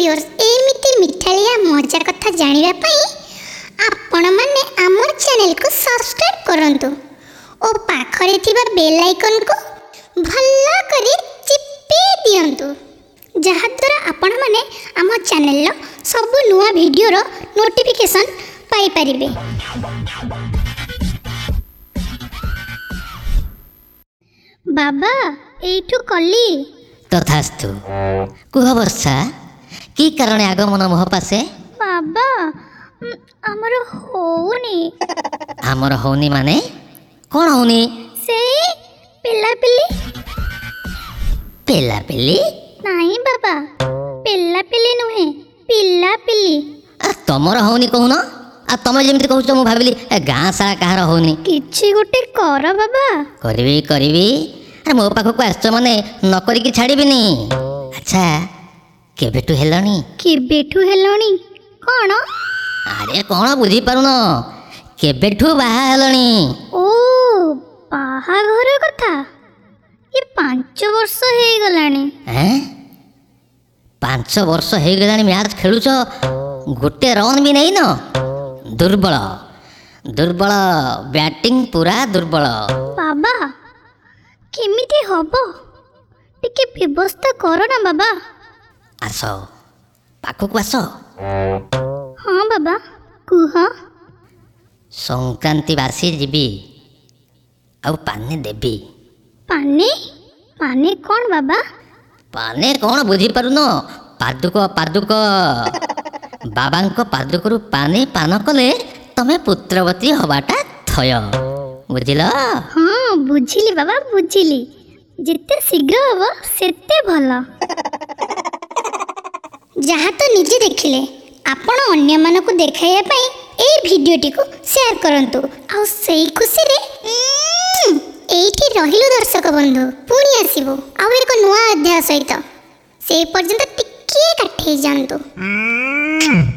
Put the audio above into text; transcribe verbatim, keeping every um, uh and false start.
Viewers, ଏମିତି ମିଠାଳିଆ ମଜା କଥା ଜାଣିବା ପାଇଁ ଆପଣମାନେ ଆମ ଚ୍ୟାନେଲକୁ ସବସ୍କ୍ରାଇବ୍ କରନ୍ତୁ ଓ ପାଖରେ ଥିବା ବେଲ୍ ଆଇକନ୍କୁ ଭଲ କରି ଚିପି ଦିଅନ୍ତୁ, ଯାହାଦ୍ୱାରା ଆପଣମାନେ ଆମ ଚ୍ୟାନେଲର ସବୁ ନୂଆ ଭିଡ଼ିଓର ନୋଟିଫିକେସନ୍ ପାଇପାରିବେ। ବାବା, ଏଇଠୁ କଲି। ତଥାସ୍ତୁ। କୁହ ବର୍ଷା, କି କାରଣେ ଆଗମନ ମୋହ ପାଶେ? ବାବା, ଉଁ, ଆମର ହଉନି। ଆମର ହଉନି ମାନେ କ'ଣ ହଉନି? ସେଇ ପିଲାପିଲି। ପିଲାପିଲି? ନାଇଁ ବାବା, ପିଲାପିଲି ନୁହେଁ, ପିଲାପିଲି। ଆ, ତମର ହଉନି କହୁନ, ଆଉ ତମେ ଯେମିତି କହୁଛ ମୁଁ ଭାବିଲି ଏ ଗାଁ ସାରା କାହାର ହଉନି। କିଛି ଗୋଟେ କର ବାବା। କରିବି କରିବି, ଆରେ ମୋ ପାଖକୁ ଆସିଛ ମାନେ ନ କରିକି ଛାଡ଼ିବିନି। ଆଚ୍ଛା, କେବେଠୁ ହେଲଣି? କେବେଠୁ ହେଲଣି କ'ଣ? ଆରେ କ'ଣ ବୁଝିପାରୁନ, କେବେଠୁ ବାହା ହେଲଣି? ଓ, ବାହାଘର କଥା, ଏ ପାଞ୍ଚ ବର୍ଷ ହେଇଗଲାଣି। ଏଁ, ପାଞ୍ଚ ବର୍ଷ ହେଇଗଲାଣି ମ୍ୟାଚ୍ ଖେଳୁଛ, ଗୋଟେ ରନ୍ ବି ନେଇନ? ଦୁର୍ବଳ ଦୁର୍ବଳ, ବ୍ୟାଟିଂ ପୁରା ଦୁର୍ବଳ। ବାବା, କେମିତି ହବ ଟିକେ ବ୍ୟବସ୍ଥା କର ନା ବାବା। ଆସ, ପାଖକୁ ଆସ। ହଁ ବାବା, କୁହ। ସଂକ୍ରାନ୍ତି ବାସି ଯିବି ଆଉ ପାନେ ଦେବି। ପାନେ? ପାନେ କ'ଣ ବାବା? ପାନେ କ'ଣ ବୁଝିପାରୁନ? ପାଦୁକ, ପାଦୁକ। ବାବାଙ୍କ ପାଦୁକରୁ ପାନେ ପାନ କଲେ ତମେ ପୁତ୍ରବତୀ ହବାଟା ଥୟ, ବୁଝିଲ? ହଁ ବୁଝିଲି ବାବା, ବୁଝିଲି। ଯେତେ ଶୀଘ୍ର ହବ ସେତେ ଭଲ। ଯାହା ତ ନିଜେ ଦେଖିଲେ, ଆପଣ ଅନ୍ୟମାନଙ୍କୁ ଦେଖାଇବା ପାଇଁ ଏଇ ଭିଡ଼ିଓଟିକୁ ସେୟାର କରନ୍ତୁ। ଆଉ ସେଇ ଖୁସିରେ ଉଁ, ଏଇଠି ରହିଲୁ ଦର୍ଶକ ବନ୍ଧୁ, ପୁଣି ଆସିବୁ ଆଉ ଏକ ନୂଆ ଅଧ୍ୟାୟ ସହିତ। ସେଇ ପର୍ଯ୍ୟନ୍ତ ଟିକିଏ କାଠେଇ ଯାଆନ୍ତୁ। Mm.